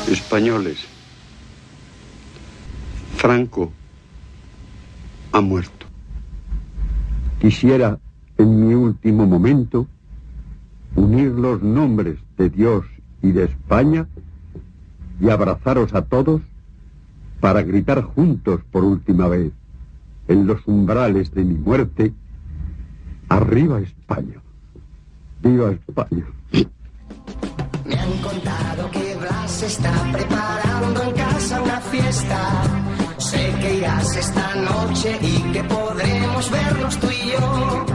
Españoles, Franco ha muerto. Quisiera, en mi último momento, unir los nombres de Dios y de España y abrazaros a todos para gritar juntos por última vez, en los umbrales de mi muerte: ¡arriba España! ¡Viva España! Me han contado que Blas está preparando en casa una fiesta. Sé que irás esta noche y que podremos vernos tú y yo.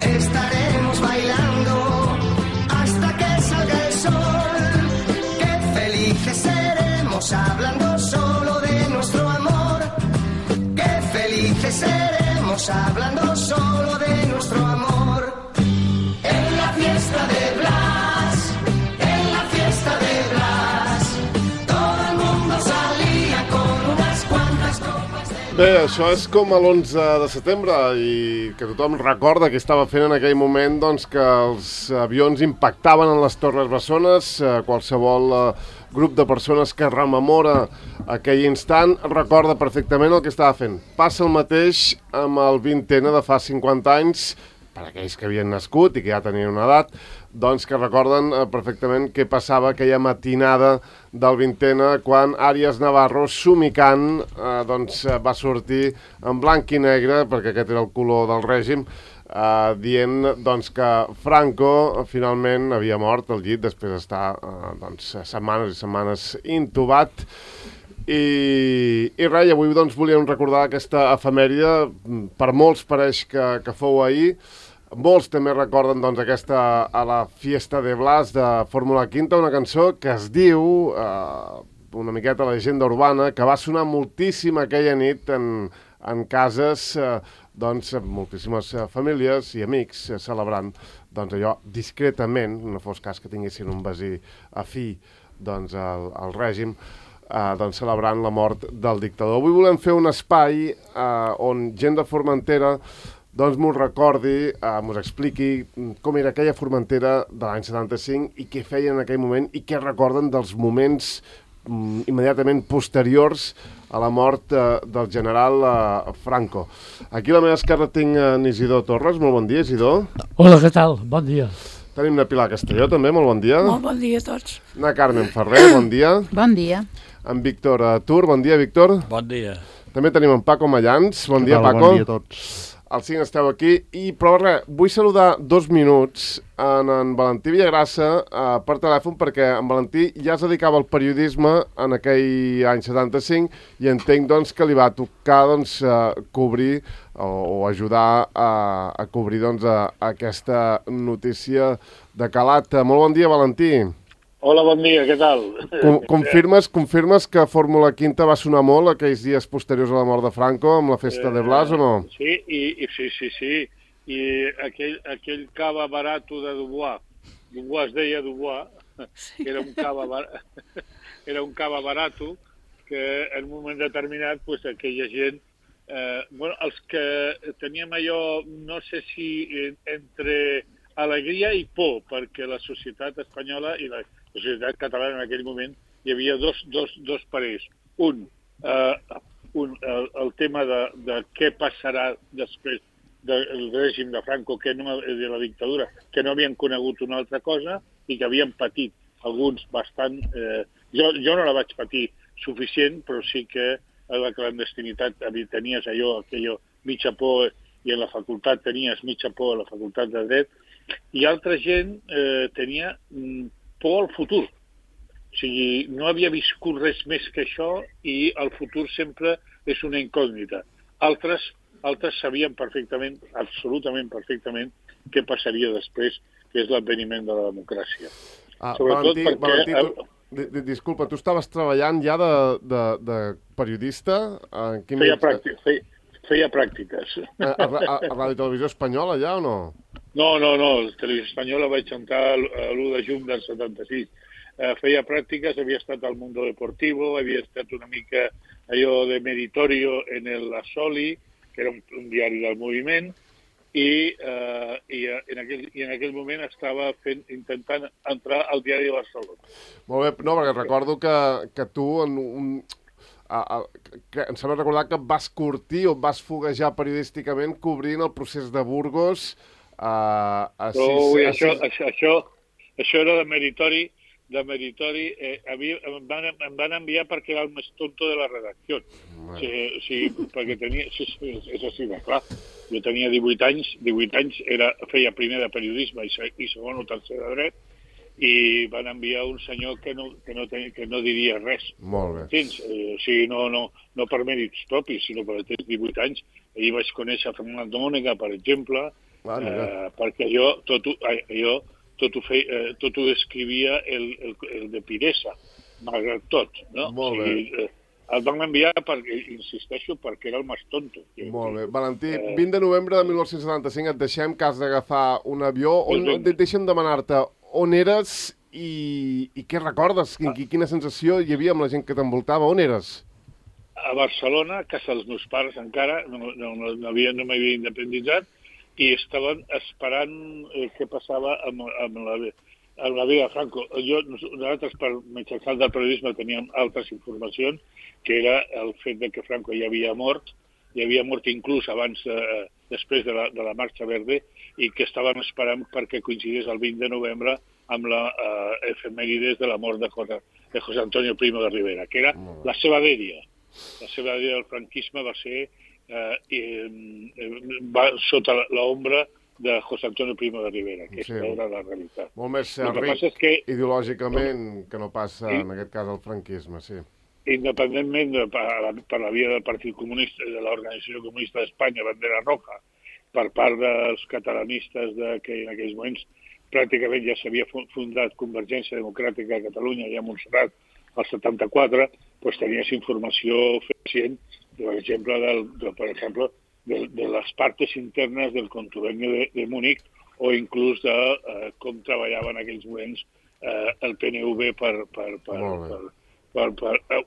Estaremos bailando hasta que salga el sol. Qué felices seremos hablando solo de nuestro amor. Qué felices seremos hablando solo de nuestro amor. En la fiesta de Blas, en la fiesta de Blas, todo el mundo salía con unas cuantas copas de... Bé, això és com a l'11 de setembre i que tothom recorda que estava fent en aquell moment doncs, que els avions impactaven en les Torres Bessones. Qualsevol grup de persones que rememora aquell instant recorda perfectament el que estava fent. Passa el mateix amb el 20N de fa 50 anys, per aquells que havien nascut i que ja tenien una edat, doncs que recorden perfectament què passava aquella matinada del 20N quan Àries Navarro, somicant, doncs va sortir en blanc i negre, perquè aquest era el color del règim, dient doncs, que Franco finalment havia mort al llit després d'estar doncs, setmanes i setmanes intubat. I res, avui doncs, volíem recordar aquesta efemèride. Per molts pareix que fou ahir. Molts també recorden doncs, aquesta a la Fiesta de Blas de Fórmula Quinta, una cançó que es diu, una miqueta llegenda urbana, que va sonar moltíssim aquella nit en cases, doncs, moltíssimes famílies i amics celebrant doncs, allò discretament, no fos cas que tinguessin un veí afí doncs, al règim, doncs, celebrant la mort del dictador. Avui volem fer un espai on gent de Formentera doncs m'ho recordi, m'ho expliqui com era aquella Formentera de l'any 75 i què feien en aquell moment i què recorden dels moments immediatament posteriors a la mort del general Franco. Aquí a la meva esquerra tinc en Isidor Torres. Molt bon dia, Isidor. Hola, què tal? Bon dia. Tenim la Pilar Castelló, també. Molt bon dia. Molt bon dia a tots. Na Carmen Ferrer, bon dia. Bon dia. En Víctor Tur, bon dia, Víctor. Bon dia. També tenim en Paco Mallans. Bon dia, Paco. Bon dia a tots. Els 5 esteu aquí. Però res, vull saludar 2 minuts en Valentí Villagrassa per telèfon, perquè en Valentí ja es dedicava al periodisme en aquell any 75 i entenc doncs, que li va tocar doncs, cobrir o ajudar a cobrir doncs, aquesta notícia de calat. Molt bon dia, Valentí. Hola, bon dia, què tal? Confirmes que Fórmula Quinta va sonar molt aquells dies posteriors a la mort de Franco amb la Festa de Blas o no? Sí, sí. I aquell cava barato de Dubois es deia Dubois, sí. Era un cava barato que en un moment determinat pues, aquella gent, els que teníem allò, no sé si entre alegria i por, perquè la societat espanyola i la societat catalana en aquell moment hi havia dos parers. El tema de què passarà després del règim de Franco, de la dictadura, que no havien conegut una altra cosa i que havien patit alguns bastant... Jo no la vaig patir suficient, però sí que a la clandestinitat tenies aquello mitja por, i en la facultat tenies mitja por a la facultat de dret, i altra gent tenia por al futur. O sigui, no havia viscut res més que això i el futur sempre és una incògnita. Altres sabien perfectament, absolutament perfectament, què passaria després, que és l'adveniment de la democràcia. Valentí, disculpa, tu estaves treballant ja de periodista? Feia pràctiques. A Ràdio Televisió Espanyola ja o no? No, Televisió Espanyola vaig entrar l'1 de juny del 76. Feia pràctiques, havia estat al Mundo Deportivo, havia estat una mica allò de meditorio en el Asoli, que era un diari del moviment, i en aquell moment estava intentant entrar al diari de Barcelona. Molt bé, no, perquè recordo que tu em sembla recordar que vas curtir o vas foguejar periodísticament cobrint el procés de Burgos Això era de meritori. Em van enviar perquè era el més tonto de la redacció. Perquè tenia... És així, clar. Jo tenia 18 anys, feia primer de periodisme i segon o tercer de dret, i van enviar un senyor que no diria res. Molt bé. Entens? No per mèrits propis, sinó perquè tens 18 anys. Ahir vaig conèixer Fernando Mónega, per exemple, perquè jo tot ho escrivia el de Piresa, malgrat tot, no? Molt bé. El van enviar, insisteixo, perquè era el més tonto. Molt bé. Valentí, 20 de novembre de 1975 et deixem que has d'agafar un avió. Deixa'm demanar-te on eres i què recordes? Quina sensació hi havia amb la gent que t'envoltava? On eres? A Barcelona, a casa dels meus pares encara, no m'havia independitzat, i estaven esperant què passava amb la vida de Franco. Nosaltres, per mitjançant del periodisme, teníem altres informacions, que era el fet de que Franco ja havia mort inclús abans, després de la Marxa Verde, i que estaven esperant perquè coincidís el 20 de novembre amb la efemèrides de la mort de José Antonio Primo de Rivera, que era la seva dèria. La seva dèria del franquisme va ser sota l'ombra de José Antonio Primo de Rivera, que era la realitat. Molt més ric ideològicament que no passa, en aquest cas, el franquisme, sí. Independentment per la via del Partit Comunista, de l'Organització Comunista d'Espanya, Bandera Roja, per part dels catalanistes que en aquells moments pràcticament ja s'havia fundat Convergència Democràtica a Catalunya i a Montserrat al 74, doncs tenies informació suficient, per exemple, de les partes internes del contubenio de Múnich o inclús de com treballava en aquells moments el PNV per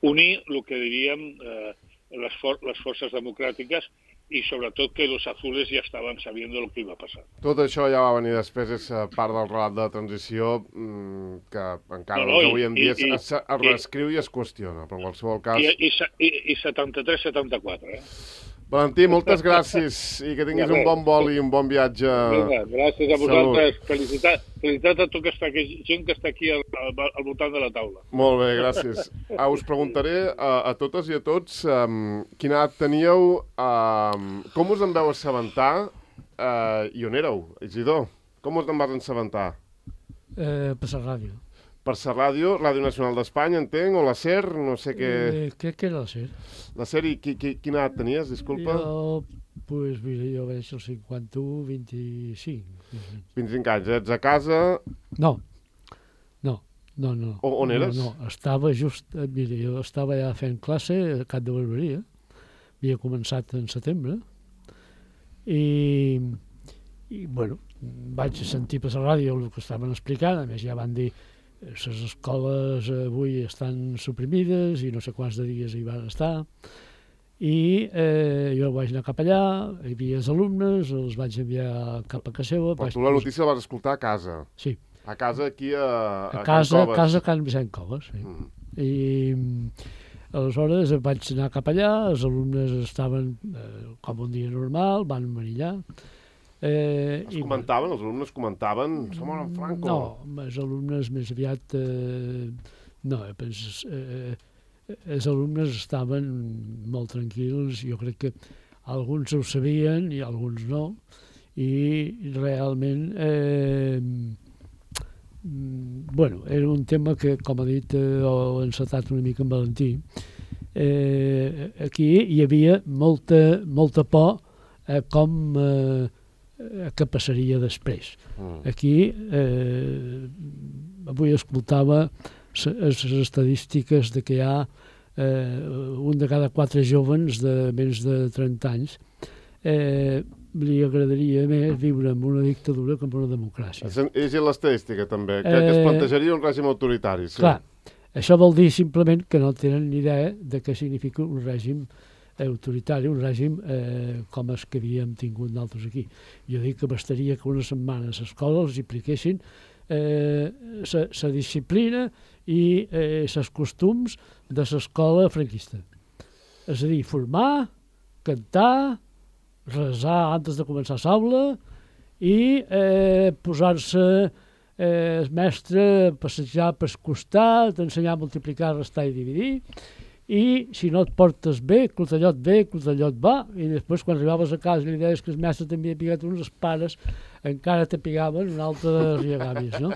unir el que diríem les forces democràtiques i sobretot que los azules ja estaven sabent el que iba a passar. Tot això ja va venir després, és part del relat de la transició que encara avui en dia es reescriu i es qüestiona, però en qualsevol cas... I 73-74, Valentí, moltes gràcies i que tinguis un bon vol i un bon viatge. Gràcies a vosaltres. Felicitat a tota aquesta gent que està aquí al voltant de la taula. Molt bé, gràcies. Us preguntaré a totes i a tots quina edat teníeu, com us en vau assabentar i on éreu, Isidor? Com us en vas assabentar? Per la ràdio. Per la ràdio, Ràdio Nacional d'Espanya, entenc, o la SER, no sé què... Crec que era la SER. La SER, i quina edat tenies, disculpa? Jo vaig als 51, 25. 25 anys, ets a casa... No. On eres? No, estava just... Mira, jo estava ja fent classe a Cap de Barberia, havia començat en setembre, i bueno, vaig sentir per la ràdio el que estaven explicant, a més ja van dir les escoles avui estan suprimides i no sé quants de dies hi van estar, i jo vaig anar cap allà, hi havia els alumnes, els vaig enviar cap a casa seva. Però tu la notícia la vas escoltar a casa? Sí. A casa aquí a Can Coves? A casa a Can Vicent Coves, sí. I aleshores vaig anar cap allà, els alumnes estaven com un dia normal, van venir allà. Els alumnes comentaven, som en Franco? No, els alumnes més aviat... No, els alumnes estaven molt tranquils, jo crec que alguns ho sabien i alguns no, i realment, bueno, era un tema que, com ha dit, ho he encetat una mica amb Valentí. Aquí hi havia molta por com... què passaria després. Aquí, avui escoltava les estadístiques de que hi ha un de cada 4 jóvens de menys de 30 anys li agradaria més viure en una dictadura que en una democràcia. És l'estadística, també, que es plantejaria un règim autoritari. Sí. Clar, això vol dir simplement que no tenen ni idea de què significa un règim autoritari, un règim com els que havíem tingut nosaltres aquí. Jo dic que bastaria que una setmana a l'escola els apliquessin la disciplina i els costums de l'escola franquista. És a dir, formar, cantar, resar antes de començar l'aula i posar-se el mestre a passejar per costat, ensenyar a multiplicar, restar i dividir, i si no et portes bé, clotellot va, i després quan arribaves a casa i li deies que el mestre t'havia picat uns, els pares encara te pigaven un altre de riagavis, no?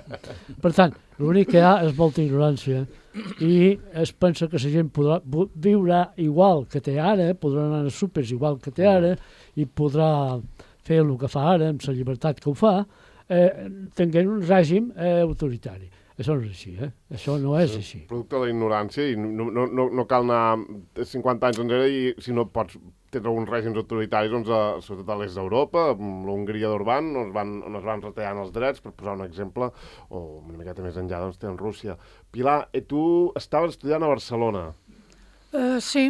Per tant, l'únic que hi ha és molta ignorància i es pensa que la gent podrà viure igual que té ara, podrà anar a súpers igual que té ara i podrà fer el que fa ara amb la llibertat que ho fa, tenint un règim autoritari. Això no és així, Això no és així. Producte de la ignorància i no cal anar 50 anys enrere i si no pots tenir alguns règims autoritaris, doncs, sobretot a l'est d'Europa, amb l'Hongria d'Orbán, on es van retallant els drets, per posar un exemple, o una miqueta més enllà, doncs, té en Rússia. Pilar, tu estaves estudiant a Barcelona. Sí,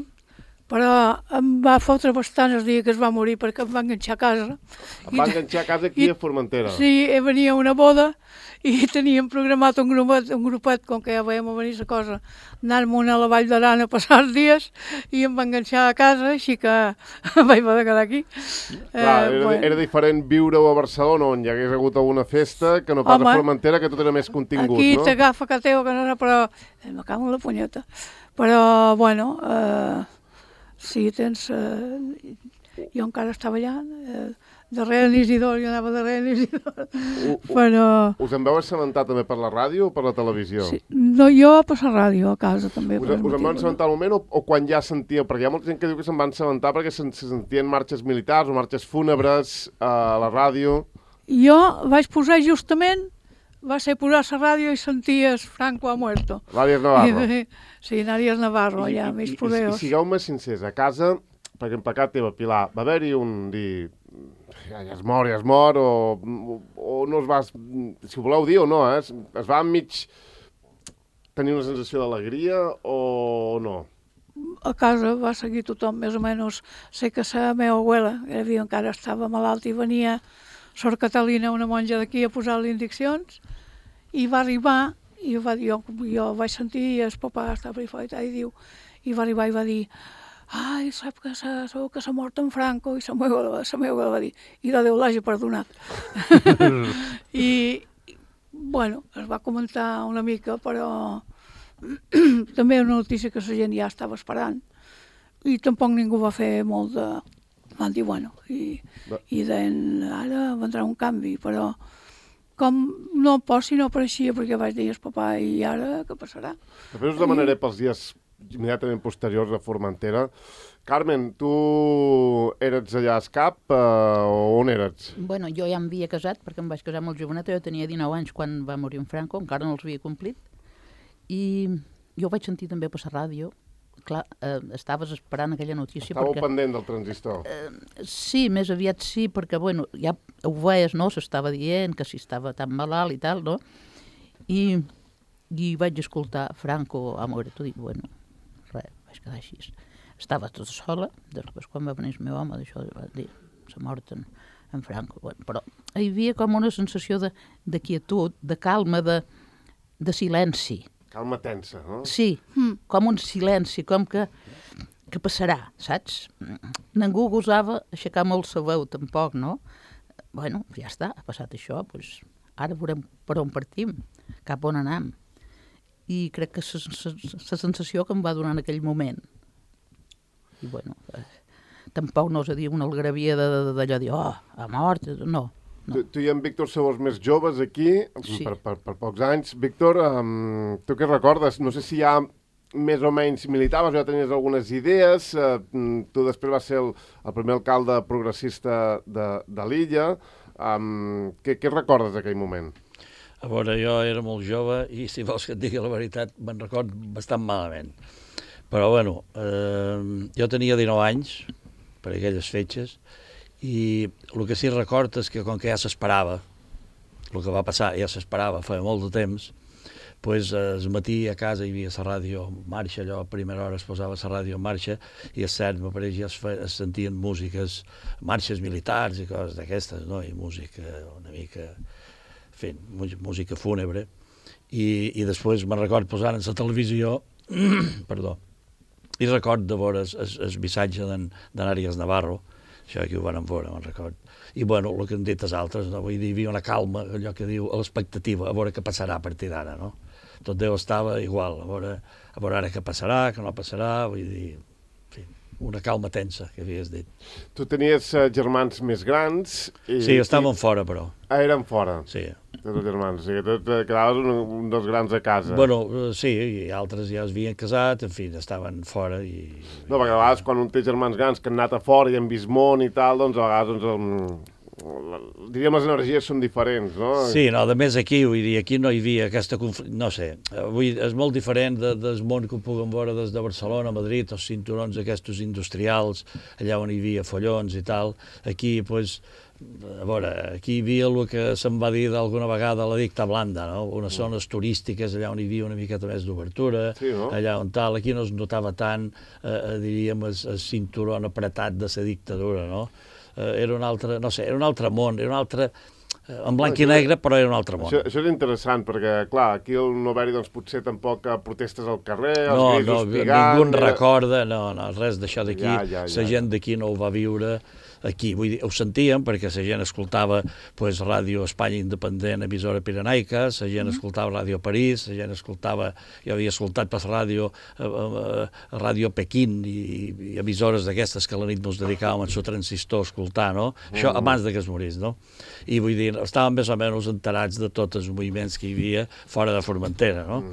però em va fotre bastant el dia que es va morir perquè em va enganxar a casa. Em va enganxar a casa aquí a Formentera. Sí, venia una boda i teníem programat un grupet, com que ja veiem a venir la cosa, anar-me'n a la Vall d'Aran a passar els dies i em va enganxar a casa, així que vaig poder quedar aquí. Clar, era diferent viure-ho a Barcelona, on hi hagués hagut alguna festa, que no pas a Formentera, que tot era més contingut, aquí no? Aquí t'agafa que teu, que no, però me cago en la punyeta. Però, bueno, sí, tens... jo encara estava allà, darrere l'Isidor, jo anava darrere l'Isidor, però... Us en vau assabentar també per la ràdio o per la televisió? Sí, no, jo per la ràdio, a casa també. Us en vau assabentar al moment o quan ja sentíeu? Perquè hi ha molta gent que diu que se'n van assabentar perquè se sentien marxes militars o marxes fúnebres a la ràdio. Jo vaig posar justament, va ser posar la ràdio i senties Franco ha muerto. Nàries Navarro. Sí, Nàries Navarro, allà, més poderos. I sigueu-me sincers, a casa, perquè en pecat teva, Pilar, va haver-hi un dir... ja es mor, o no es va... Si ho voleu dir o no, es va enmig tenir una sensació d'alegria o no? A casa va seguir tothom, més o menys. Sé que la meva abuela, que encara estava malalta i venia Sor Catalina, una monja d'aquí, a posar les indiccions, i va arribar, i jo vaig sentir, el papà estava per fora i diu, i va arribar i va dir: ai, sap que s'ha mort en Franco, i la meva va dir, i de Déu l'hagi perdonat. I, bueno, es va comentar una mica, però també una notícia que la gent ja estava esperant, i tampoc ningú va fer molt de... Van dir, bueno, i deien, ara vendrà un canvi, però com no si no apareixia perquè vaig dir al papà, i ara què passarà? Després us demanaré pels dies immediatament posteriors a Formentera. Carmen, tu eres allà a Escap o on eres? Bueno, jo ja m'havia casat perquè em vaig casar molt joveneta, jo tenia 19 anys quan va morir en Franco, encara no els havia complit, i jo vaig sentir també per la ràdio. Clar, estaves esperant aquella notícia. Estàveu pendent del transistor. Sí, més aviat sí, perquè, bueno, ja ho veies, no?, s'estava dient que si estava tan malalt i tal, no? I vaig escoltar Franco ha mort, i dic, bueno, res, vaig quedar així. Estava tota sola, després quan va venir el meu home, d'això va dir, s'ha mort en Franco, bueno, però hi havia com una sensació de quietud, de calma, de silenci. Calma tensa, no? Sí, com un silenci, com que passarà, saps? Ningú gosava aixecar molt la veu, tampoc, no? Bueno, ja està, ha passat això, doncs ara veurem per on partim, cap on anem. I crec que la sensació que em va donar en aquell moment. I bueno, tampoc no us he dit una algarabia d'allò de dir, oh, ha mort, no. Tu i en Víctor sou els més joves aquí, sí, per pocs anys. Víctor, tu què recordes? No sé si ja més o menys militaves, ja tenies algunes idees. Tu després vas ser el primer alcalde progressista de l'illa. Què recordes d'aquell moment? A veure, jo era molt jove i, si vols que et digui la veritat, me'n record bastant malament. Però, bueno, jo tenia 19 anys, per aquelles fetges, i el que sí record és que com que ja s'esperava, el que va passar ja s'esperava, feia molt de temps, pues, el matí a casa hi havia la ràdio en marxa, allò a primera hora es posava la ràdio en marxa, i és cert, m'apareix, ja es sentien músiques, marxes militars i coses d'aquestes, no? I música una mica, en fi, música fúnebre, i després me'n record posant en la televisió, perdó, i record de veure el missatge d'Àries Navarro, això aquí ho van veure, me'n record. I, bueno, el que han dit els altres, no? Vull dir, hi havia una calma, allò que diu, a l'expectativa, a veure què passarà a partir d'ara, no? Tot Déu estava igual, a veure ara què passarà, què no passarà, vull dir, en fi, una calma tensa, que havies dit. Tu tenies germans més grans... Sí, estaven fora, però. Ah, eren fora? Sí. Tots els germans, o sigui, tu quedaves un dels grans a casa. Bueno, sí, i altres ja es havien casat, en fi, estaven fora i... No, perquè a vegades quan un té germans grans que han anat a fora i han vist món i tal, doncs a vegades, diríem, les energies són diferents, no? Sí, no, a més aquí, vull dir, aquí no hi havia aquesta... No sé, vull dir, és molt diferent del món que ho puguem veure des de Barcelona, Madrid, els cinturons aquests industrials, allà on hi havia follons i tal. Aquí, doncs, a veure, aquí hi havia el que se'n va dir d'alguna vegada la dicta blanda, no? Unes zones turístiques allà on hi havia una miqueta més d'obertura, sí, no? Allà on tal, aquí no es notava tant, diríem, el cinturó apretat de la dictadura, no? Era un altre, no sé, era un altre món, era un altre... en blanc i negre, però era un altre món. Això és interessant, perquè, clar, aquí al no haver-hi, doncs, potser tampoc protestes al carrer, els grisos pigant... Ningú en recorda, no, res d'això d'aquí, la gent d'aquí no ho va viure... Aquí, vull dir, ho sentíem perquè la gent escoltava pues, Ràdio Espanya Independent, emissora pirenaica, la gent escoltava Ràdio París, la gent escoltava, jo havia escoltat per ràdio, Ràdio Pequín i emissores d'aquestes que a la nit ens dedicàvem en el transistor a escoltar, no? Això abans que es morís, no? I vull dir, estàvem més o menys enterats de tots els moviments que hi havia fora de Formentera, no?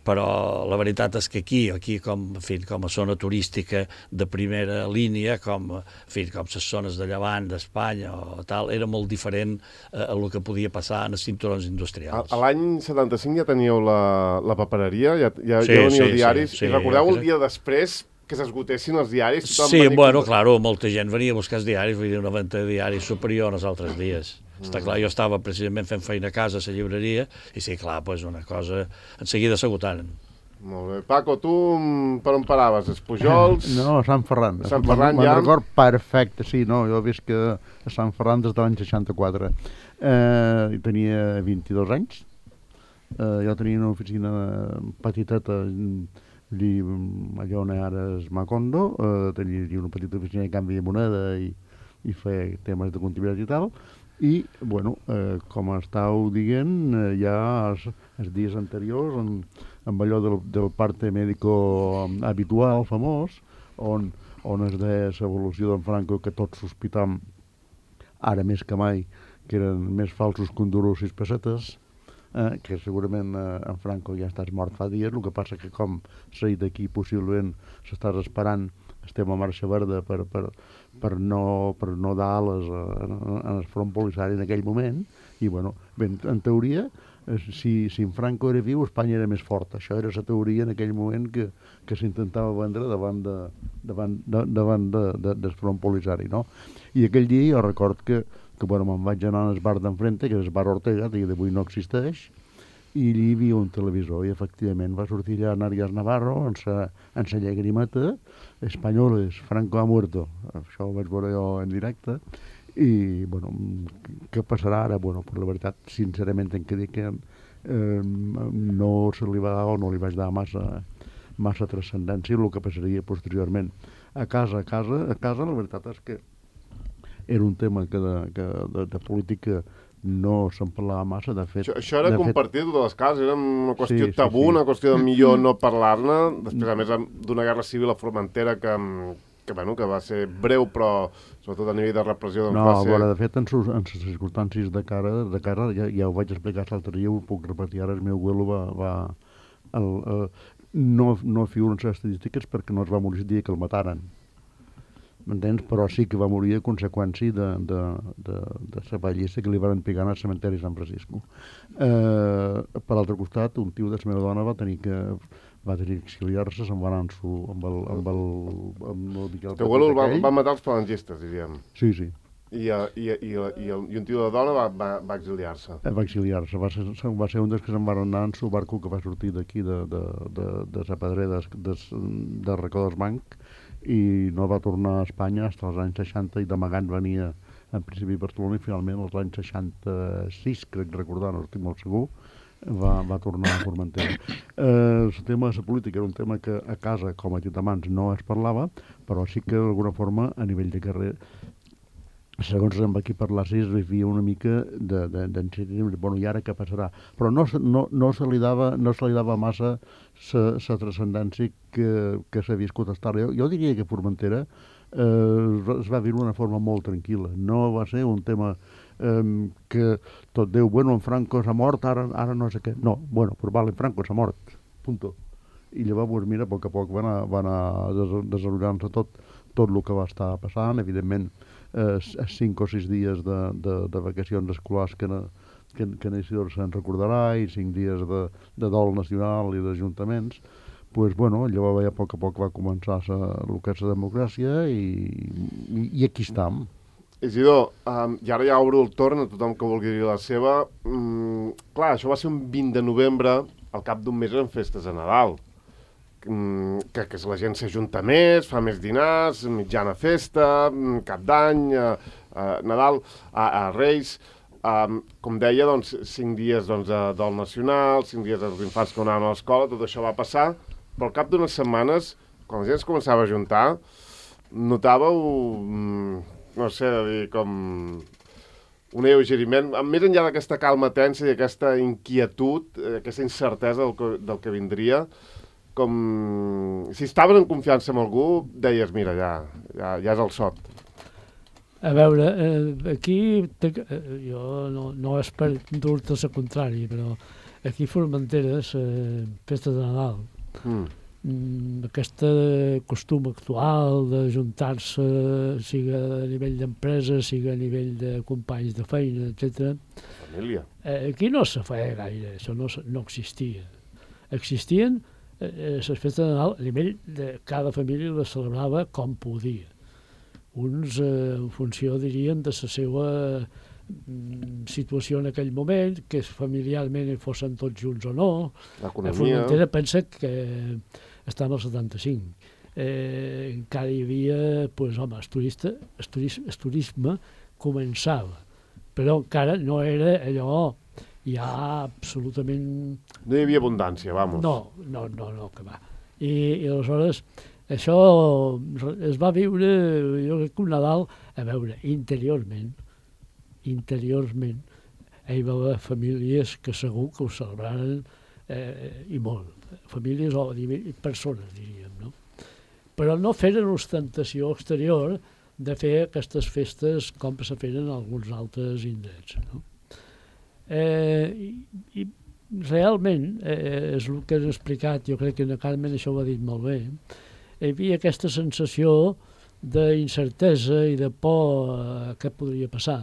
Però la veritat és que aquí com a zona turística de primera línia, com les zones de Llevant, d'Espanya o tal, era molt diferent a el que podia passar en els cinturons industrials. A l'any 75 ja teníeu la papereria, ja veníeu diaris, i recordeu el dia després que s'esgotessin els diaris? Sí, bueno, claro, molta gent venia a buscar els diaris, vull dir, una venda de diaris superior als altres dies. Està clar, jo estava precisament fent feina a casa a la llibreria i sí, clar, doncs una cosa en seguida s'agotaren. Molt bé. Paco, tu per on paraves? Els Pujols? No, a Sant Ferran. A Sant Ferran ja? Me'n record perfecte, sí, no, jo he vist que a Sant Ferran des de l'any 64. Tenia 22 anys. Jo tenia una oficina petiteta allà on ara és Macondo. Tenia una petita oficina de canvi de moneda i feia temes de comptabilitat i tal. I, bueno, com estàveu dient, ja els dies anteriors, amb allò del parte médico habitual, famós, on es deia l'evolució d'en Franco, que tots sospitam, ara més que mai, que eren més falsos que un duro 6 pessetes, que segurament en Franco ja estàs mort fa dies, el que passa que com s'ha dit aquí, possiblement s'estàs esperant, estem a marxa verda per no dar ales en el front polissari en aquell moment, i bueno, en teoria, si en Franco era viu, Espanya era més forta. Això era la teoria en aquell moment que s'intentava vendre davant del front polissari, no? I aquell dia jo record que bueno, me'n vaig anar al bar d'enfrente, que és el bar Ortega, que d'avui no existeix, i allí hi havia un televisor, i efectivament va sortir allà Àries Navarro, en sa llagrimeta, Espanyoles, Franco ha muerto. Això ho vaig veure jo en directe, i, bueno, què passarà ara? Bueno, per la veritat, sincerament, hem de dir que no se li va dar o no li vaig dar massa transcendència el que passaria posteriorment. A casa, la veritat és que era un tema que de política no se'n parlava massa, de fet... Això era compartit de les cases, era una qüestió tabú, una qüestió de millor no parlar-ne, després a més d'una guerra civil a Formentera que va ser breu, però sobretot a nivell de repressió... No, de fet, en les circumstàncies de cara ja ho vaig explicar l'altre dia, ho puc repetir ara, el meu abuelo no figuren les estadístiques perquè no es va morir el dia que el mataren. M'entens? Però sí que va morir a conseqüència de la pallissa que li van pegar al cementeri de Sant Francisco. Per l'altre costat, un tio de la meva dona va tenir que exiliar-se, se'n va anar amb el Miquel. Teu abuelo el va matar els falangistes, diríem. Sí. I un tio de dona va exiliar-se. Va exiliar-se. Va ser un dels que se'n van anar en su barco que va sortir d'aquí, de Sa Pedrera, de Racó dels Banc, i no va tornar a Espanya fins als anys 60 i d'amagat venia en principi a Barcelona i finalment als anys 66, crec recordar, no estic molt segur, va tornar a Formentera. El tema de la política era un tema que a casa, com a Titamans, no es parlava, però sí que d'alguna forma a nivell de carrer, segons amb aquí parlar, es vivia una mica d'encertesa, bueno, i ara què passarà? Però no se li dava massa la transcendència que s'ha viscut a estar. Jo diria que Formentera es va viure d'una forma molt tranquil·la. No va ser un tema que tot diu, bueno, en Franco s'ha mort, ara no sé què. No, bueno, però vale, Franco s'ha mort, punto. I llavors, mira, a poc va anar desenvolupant-se tot el que va estar passant, evidentment, 5 o 6 dies de vacacions escolars que en Isidor se'n recordarà i 5 dies de dol nacional i d'ajuntaments, pues, bueno, llavors a poc va començar el que és la democràcia i aquí estem. Isidor, i ara ja obro el torn a tothom que vulgui dir la seva. Clar, això va ser un 20 de novembre, al cap d'un mes eren festes a Nadal. Que la gent s'ajunta més, fa més dinars, mitjana festa, cap d'any, Nadal, a Reis, com deia, doncs, 5 dies de dol nacional, 5 dies dels infants que anaven a l'escola, tot això va passar, però al cap d'unes setmanes, quan la gent es començava a ajuntar, notàveu, no sé, com un alleugeriment, més enllà d'aquesta calma tensa i aquesta inquietud, aquesta incertesa del que vindria, com si estaves en confiança amb algú, deies, mira, ja és el sot. A veure, aquí, jo no és per dur-te la contrària, però aquí a Formentera, festa de Nadal, aquest costum actual d'ajuntar-se, siga a nivell d'empresa, siga a nivell de companys de feina, etc. Família. Aquí no se feia gaire, això no existia. Existien les festes de Nadal a nivell de cada família les celebrava com podia. Uns en funció, dirien, de la seva situació en aquell moment, que familiarment fossin tots junts o no. L'economia. A Formentera pensa que estan al 75. Encara hi havia, doncs, home, el turisme començava, però encara no era allò ja absolutament... No hi havia abundància, vamos. No, que va. I aleshores, això es va viure, jo crec que un Nadal, a veure, interiorment, hi va haver famílies que segur que ho celebraren i molt. Famílies o persones, diríem, no? Però no feren ostentació exterior de fer aquestes festes com se feren en alguns altres indrets, no? I realment, és el que has explicat, jo crec que en Carmen això ho ha dit molt bé, hi havia aquesta sensació d'incertesa i de por a què podria passar,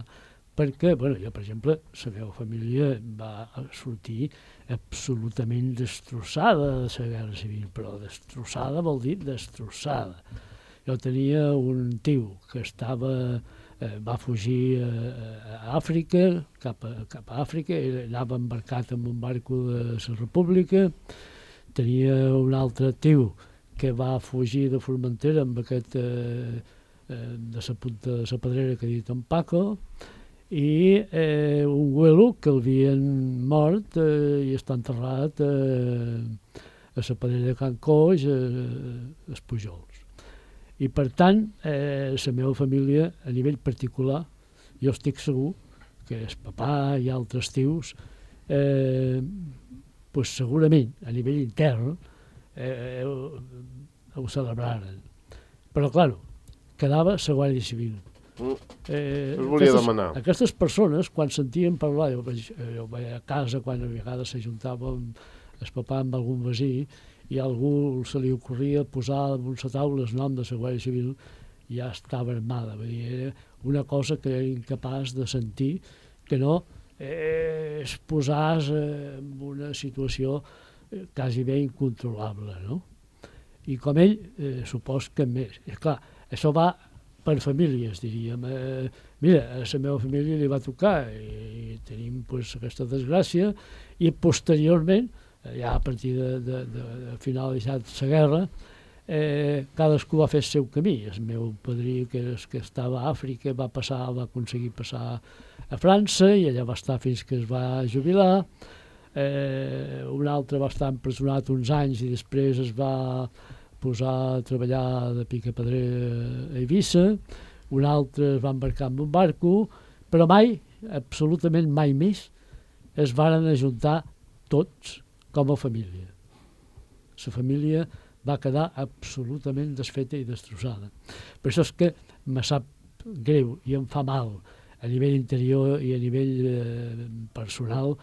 perquè, bueno, jo, per exemple, la meva família va sortir absolutament destrossada de la Guerra Civil, però destrossada vol dir destrossada. Jo tenia un tio que va fugir a Àfrica, cap a Àfrica, anava embarcat en un barco de la República, tenia un altre tio que va fugir de Formentera amb aquest de la punta de Sa Pedrera que ha dit en Paco, i un güelo que l'havien mort i està enterrat a Sa Pedrera de Can Coix, als Pujols. I, per tant, la meva família, a nivell particular, jo estic segur que el papà i altres tios, pues, segurament, a nivell intern, ho celebraren. Però, clar, quedava la Guàrdia Civil. Us volia demanar. Aquestes persones, quan sentien parlar, jo vaig a casa, quan a vegades s'ajuntava el papà amb algun vecí, i a algú se li ocorria posar damunt la taula el nom de la Guàrdia Civil, ja estava armada. Era una cosa que era incapaç de sentir, que no es posàs en una situació quasi bé incontrolable, no? I com ell, supos que més. És clar, això va per famílies, diríem. Mira, a la meva família li va tocar i tenim pues, aquesta desgràcia i posteriorment, ja a partir de finalitzat la guerra, cadascú va fer el seu camí. El meu padrí, que estava a Àfrica, va aconseguir passar a França i allà va estar fins que es va jubilar. Un altre va estar empresonat uns anys i després es va posar a treballar de picapedrer a Eivissa. Un altre es va embarcar en un barco, però mai, absolutament mai més, es varen ajuntar tots com a família. La família va quedar absolutament desfeta i destrossada. Per això és que me sap greu i em fa mal a nivell interior i a nivell personal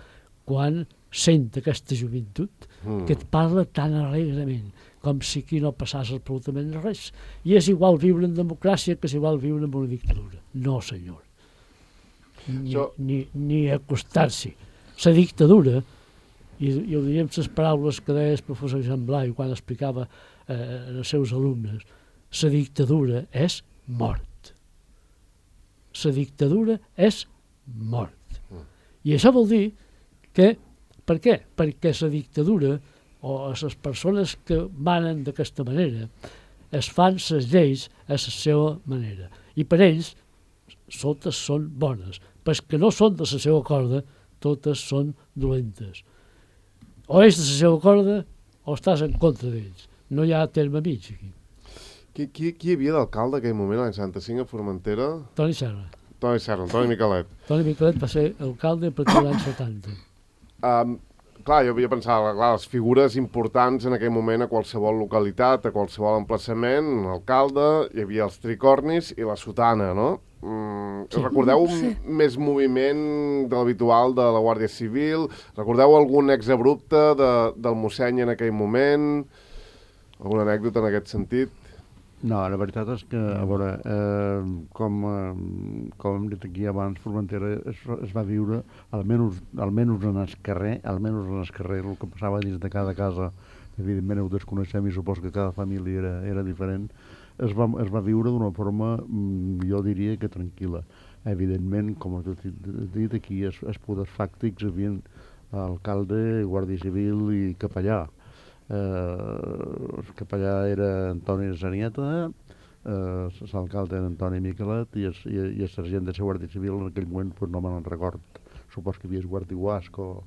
quan sent aquesta joventut que et parla tan alegrement com si aquí no passàs absolutament res. I és igual viure en democràcia que és igual viure en una dictadura. No, senyor. Ni acostar-s'hi. La dictadura, i ho diríem les paraules que deia el professor Jean Blai quan explicava als seus alumnes, la dictadura és mort. La dictadura és mort. I això vol dir que, per què? Perquè la dictadura o les persones que manen d'aquesta manera es fan les lleis a la seva manera. I per ells totes són bones. Però que no són de la seva corda, totes són dolentes. O és de la seva corda o estàs en contra d'ells. No hi ha terme mig aquí. Qui hi havia d'alcalde en aquell moment, l'any 65, a Formentera? Toni Serra. Toni Miquelet. Toni Miquelet va ser alcalde a partir de l'any 70. Clar, jo havia pensat, les figures importants en aquell moment a qualsevol localitat, a qualsevol emplaçament, l'alcalde, hi havia els tricornis i la sotana, no? Sí. Recordeu més moviment de l'habitual de la Guàrdia Civil? Recordeu algun exabrupte del mosseny en aquell moment? Alguna anècdota en aquest sentit? No, la veritat és que, a veure, com hem dit aquí abans, Formentera es va viure, almenys en el carrer, el que passava dins de cada casa, evidentment ho desconeixem i supos que cada família era diferent, es va viure d'una forma, jo diria que tranquil·la. Evidentment, com he dit aquí, els poders fàctics hi havia alcalde, guàrdia civil i capellà. El capellà era Antoni Zanieta, l'alcalde era Antoni Miquelet i el sergent de la Guàrdia Civil en aquell moment pues, no me'n record. Supos que hi havia Guàrdia Guasc o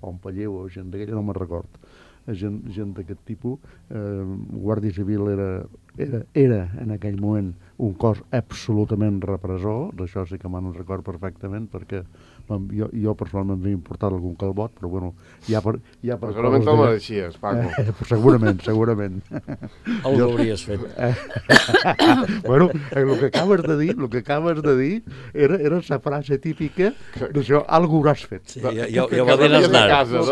un Palleu o gent d'aquella, no me'n record. Gent d'aquest tipus. Guàrdia Civil era en aquell moment un cos absolutament repressor, d'això sí que me'n record perfectament, perquè jo personalment m'he importat algun calbot, però bueno, ja per segurament te'l mereixies, Paco. Segurament. Algo hauries fet. Bueno, el que acabes de dir era la frase típica d'això, algo hauràs fet. Sí, jo va dir Aznar. Jo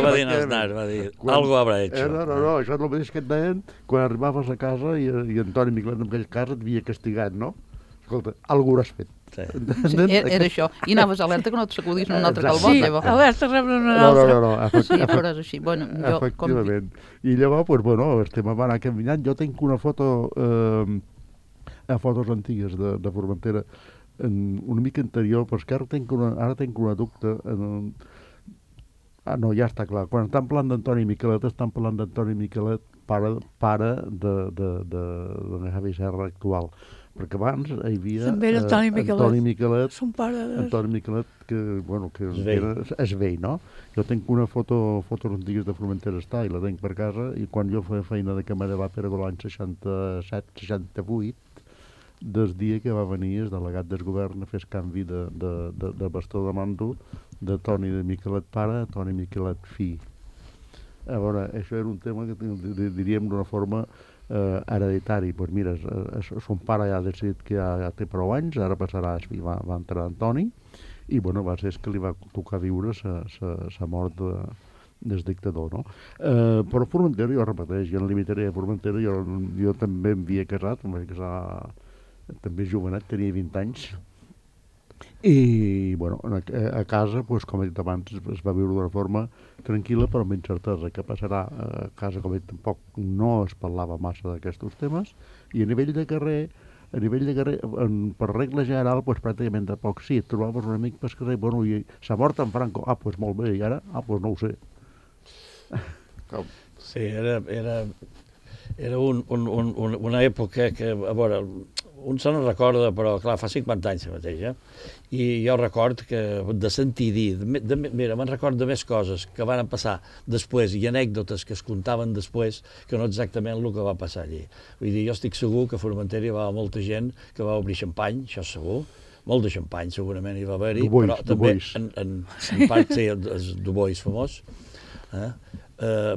va dir Aznar, va dir, algo habrà hecho. No, això és el mateix que et deien quan arribaves a casa i Antoni Miquelet en aquell cas et havia castigat, no? Escolta, algo hauràs fet. Sí, era això. I anaves alerta que no et sacudís un altre calbot. Sí, alerta rebre una altra. No. Sí, però és així. Bueno, efectivament. I llavors, pues, bueno, el tema va anar caminant. Jo tinc una foto, fotos antigues de Formentera, una mica anterior, però és que ara tinc una dubte. No, ja està clar. Quan estan parlant d'Antoni Miquelet, pare de Javi Serra actual. Perquè abans hi havia Antoni Miquelet, que és vell, no? Jo tinc una fotos antigues de Formentera està i la tinc per casa, i quan jo feia feina de camarer per l'any 67-68, des dia que va venir el delegat del govern a fer el canvi de bastó de mando de Toni de Miquelet pare a Toni Miquelet fill. A veure, això era un tema que diríem d'una forma hereditari. Doncs mira, son pare ja ha decidit que ja té prou anys, ara passarà, va entrar Antoni, i bueno, va ser que li va tocar viure la mort del dictador, no? Però Formentera, jo repeteix, jo no limitaré a Formentera, jo també em havia casat, em vaig casar també jovenet, tenia 20 anys, I, bueno, a casa, doncs, com he dit abans, es va viure d'una forma tranquil·la, però amb incertesa. Què passarà a casa, com he dit, tampoc no es parlava massa d'aquests temes, i a nivell de carrer, per regla general, doncs, pràcticament de poc sí, et trobaves un amic pel carrer, bueno, i s'ha mort en Franco, doncs molt bé, i ara, doncs no ho sé. Sí, era una època que, a veure, un se no recorda, però clar, fa 50 anys mateix, i jo record que de sentir dir, mira, me'n record de més coses que van passar després i anècdotes que es contaven després que no exactament el que va passar allí. Vull dir, jo estic segur que a Formentera hi va molta gent que va obrir xampany, això segur, molt de xampany segurament hi va haver-hi, però també en part, sí, el Dubois famós,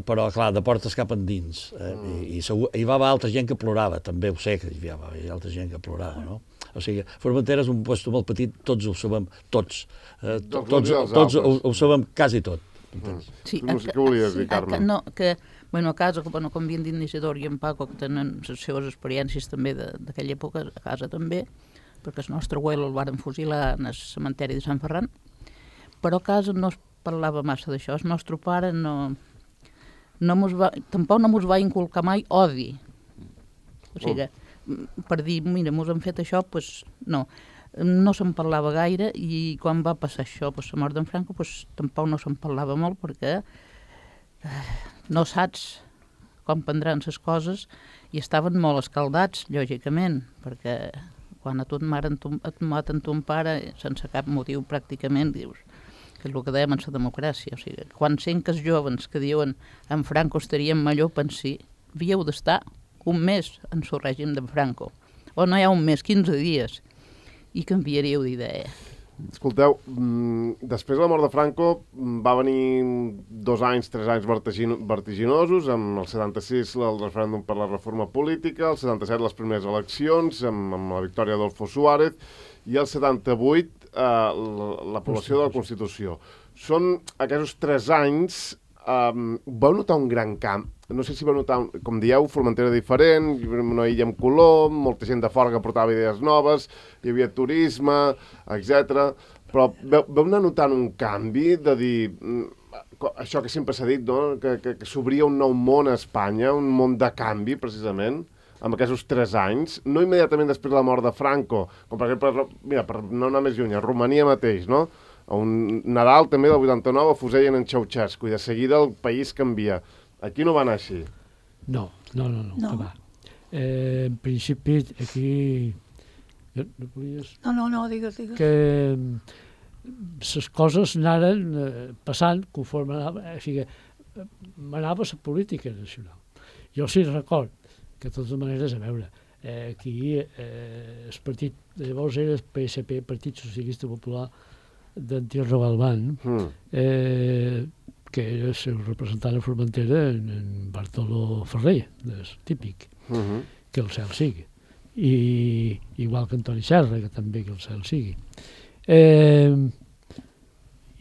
però clar, de portes cap endins, i segur, hi va haver altra gent que plorava, també ho sé que hi va haver altra gent que plorava, no? O sigui, Formentera és un lloc molt petit, tots ho sabem, tots ho sabem quasi tot. Sí, què volies dir, Carme? A casa, com havien dit Isidor i en Paco, que tenen les seves experiències també d'aquella època, a casa també, perquè el nostre abuelo el varen fusilar en el cementeri de Sant Ferran, però a casa no es parlava massa d'això. El nostre pare tampoc no mos va inculcar mai odi. O sigui, per dir, mira, mos han fet això, doncs no se'n parlava gaire, i quan va passar això, la mort d'en Franco, tampoc no se'n parlava molt, perquè no saps com prendran les coses, i estaven molt escaldats, lògicament, perquè quan a tu et maten ton pare, sense cap motiu pràcticament, dius, que és el que dèiem en la democràcia. O sigui, quan sent que els jovens que diuen en Franco estaríem millor, pensar, havíeu d'estar un mes en el règim de Franco, o no hi ha un mes, 15 dies, i canviaríeu d'idea. Escolteu, després de la mort de Franco va venir 2 anys, 3 anys vertiginosos, amb el 76 el referèndum per la reforma política, el 77 les primeres eleccions, amb la victòria d'Adolfo Suárez, i el 78 l'aprovació de la Constitució. Són aquests 3 anys, vau notar un gran canvi. No sé si vau notar, com dieu, Formentera diferent, una illa amb color, molta gent de fora que portava idees noves, hi havia turisme, etc. Però vau anar notant un canvi de dir, això que sempre s'ha dit, no? que s'obria un nou món a Espanya, un món de canvi, precisament, amb aquests 3 anys, no immediatament després de la mort de Franco, com per exemple, mira, per no anar més lluny, a Romania mateix, no? A un Nadal també del 89 fusellen en Ceausescu, i de seguida el país canvia. Aquí no va anar així. No. Que va. En principi, aquí... No, digues. Que les coses anaren passant conforme anava... O sigui, m'anava la política nacional. Jo sí record que de totes maneres, a veure, aquí el partit, llavors era el PSP, Partit Socialista Popular d'Antierro Galván, que era el seu representant a Formentera, en Bartoló Ferrer, típic, que el cel sigui. I igual que Antoni Serra, que també que el cel sigui.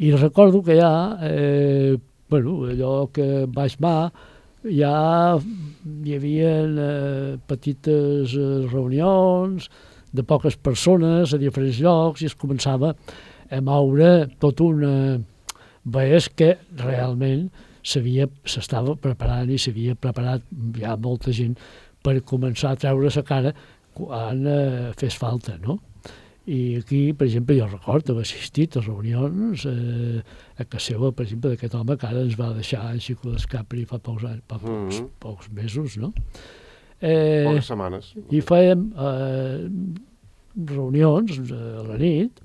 I recordo que ja, allò que vaig mar, ja hi havia petites reunions de poques persones a diferents llocs, i es començava a moure tot una... Veies que realment s'estava preparant i s'havia preparat ja molta gent per començar a treure la cara quan fes falta, no? I aquí, per exemple, jo recordo haver assistit a reunions a casa seva, per exemple, d'aquest home que ara ens va deixar en Xico d'Escapri fa pocs mesos, no? Poques setmanes. I fèiem reunions a la nit,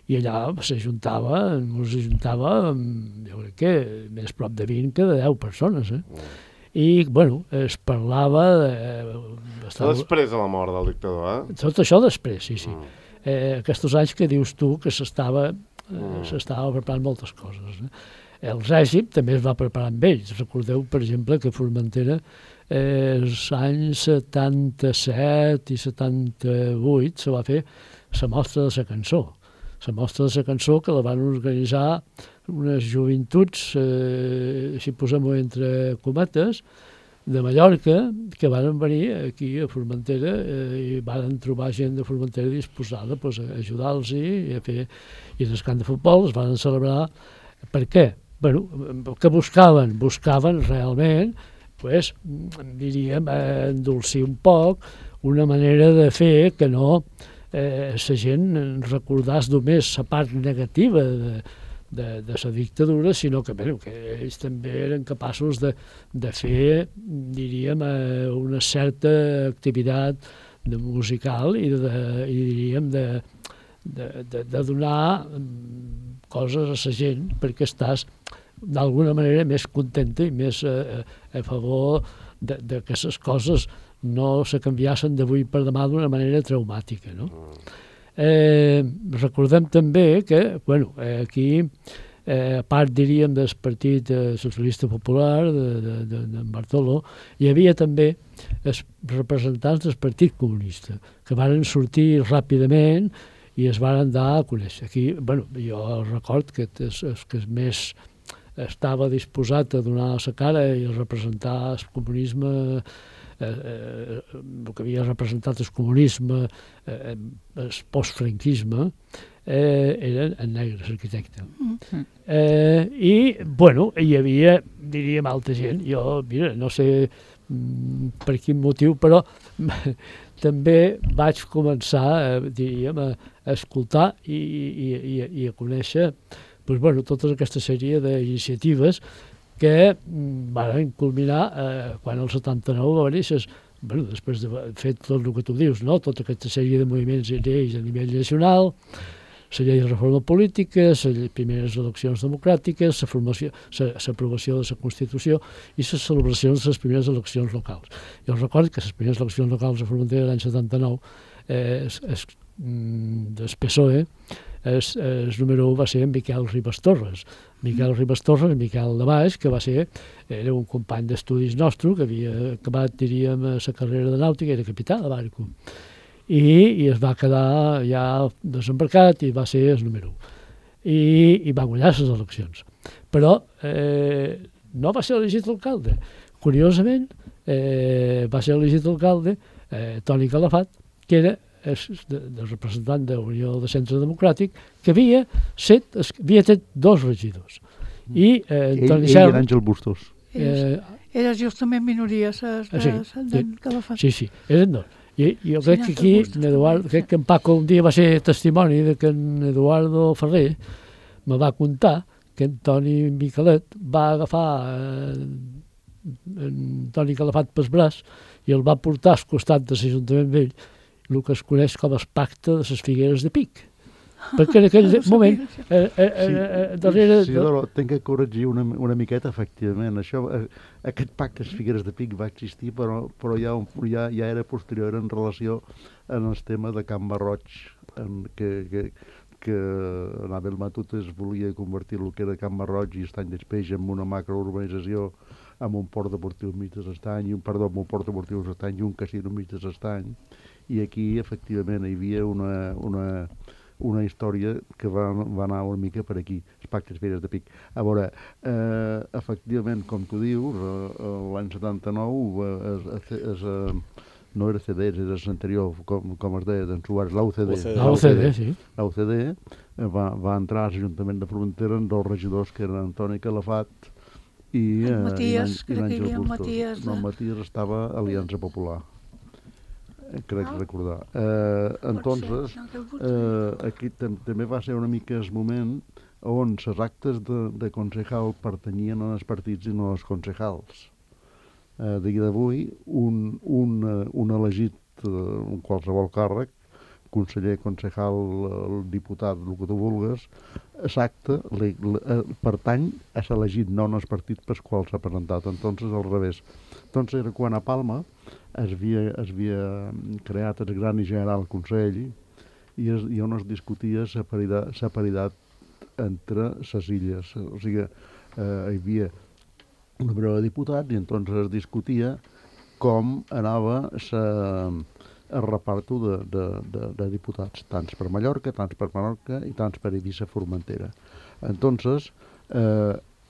i allà s'ajuntava, jo crec que més prop de 20 que de 10 persones, I, es parlava... Després de la mort del dictador, Tot això després, sí. Aquests anys que dius tu que s'estava preparant moltes coses. El règim també es va preparar amb ells. Recordeu, per exemple, que Formentera els anys 77 i 78 se va fer la mostra de la cançó. La mostra de la cançó que la van organitzar unes joventuts, si posem-ho entre cometes, de Mallorca que van venir aquí a Formentera i van trobar gent de Formentera disposada pues, a ajudar-los i a fer i en el camp de futbol es van celebrar. Per què? Bueno, que buscaven? Buscaven realment pues, diríem, endolcir un poc una manera de fer que no la gent recordés només la part negativa de la dictadura, sinó que, bueno, que ells també eren capaços de fer, diríem, una certa activitat musical i diríem, de donar coses a la gent perquè estàs d'alguna manera més contenta i més a favor de que les coses no se canviassen d'avui per demà d'una manera traumàtica, no? Recordem també que, bueno, aquí, a part, diríem, del Partit Socialista Popular de Bartolo, hi havia també els representants del Partit Comunista, que van sortir ràpidament i es van dar a conèixer. Aquí, bueno, jo record que el que més estava disposat a donar la cara i a representar el comunisme, el que havia representat el comunisme, el postfranquisme, era en negre, l'arquitecte. I, bueno, hi havia, diríem, altra gent. Jo, mira, no sé per quin motiu, però també vaig començar, diríem, a escoltar i a conèixer pues, bueno, tota aquesta sèrie d'iniciatives que van culminar quan el 79 va néixer, bueno, després de fer tot el que tu dius, no? Tota aquesta sèrie de moviments i lleis a nivell nacional, la llei de reforma política, les primeres eleccions democràtiques, l'aprovació de la Constitució i les celebracions de les primeres eleccions locals. Jo recordo que les primeres eleccions locals a Formentera l'any 79, del PSOE, el número 1 va ser en Miquel Ribas Torres. Miquel Ribas Torres, Miquel de Baix, que era un company d'estudis nostre, que havia acabat, diríem, la carrera de nàutica, era capità de barco. I es va quedar ja desembarcat i va ser el número 1. I va guanyar les eleccions. Però no va ser elegit alcalde. Curiosament, va ser elegit alcalde Toni Calafat, que era del representant de Unió de Centre Democràtic, que havia tret 2 regidors. I Ell i l'Àngel Bustos. Era justament minoria, d'en Calafat. Sí, eren 2. I jo crec que aquí, crec que en Paco un dia va ser testimoni de que en Eduardo Ferrer me va contar que en Toni Miquelet va agafar en Toni Calafat pel braç i el va portar al costat de l'Ajuntament Vell, el que es coneix com el pacte de les Figueres de Pic. Perquè en aquell moment darrere... Sí, tinc que corregir una miqueta, efectivament. Aquest pacte de les Figueres de Pic va existir, però ja era posterior en relació en el tema de Can Barroig, que Anabel Matutes volia convertir el que era Can Barroig i Estany d'Espeix en una macrourbanització amb un port deportiu mig de l'Estany, amb un port deportiu de l'Estany i un casino mig de l'Estany. I aquí, efectivament, hi havia una història que va anar una mica per aquí, els pactes Figueres de Pic. A veure, efectivament, com tu dius, l'any 79 no era CDS, era l'anterior, com es deia, d'en Suárez, l'UCD. L'UCD va entrar a l'Ajuntament de Formentera amb 2 regidors que eren Antoni Calafat i l'Àngel Bustos. No, Matías estava a Aliança Popular. Crec recordar. Entonces, aquí també va ser una mica el moment on les actes de concejal pertanyien als partits i no als concejals. Dia d'avui, un elegit, un qualsevol càrrec, conseller, concejal, el diputat, el que tu vulgues, l'acte pertany a l'elegit, no als partits pels quals s'ha presentat. Entonces, al revés. Entonces, era quan a Palma es havia creat el Gran i General Consell i on es discutia la paritat entre les illes. O sigui, hi havia un número de diputats i entonces es discutia com anava el reparto de diputats, tants per Mallorca, tants per Menorca i tants per Eivissa Formentera. Entonces,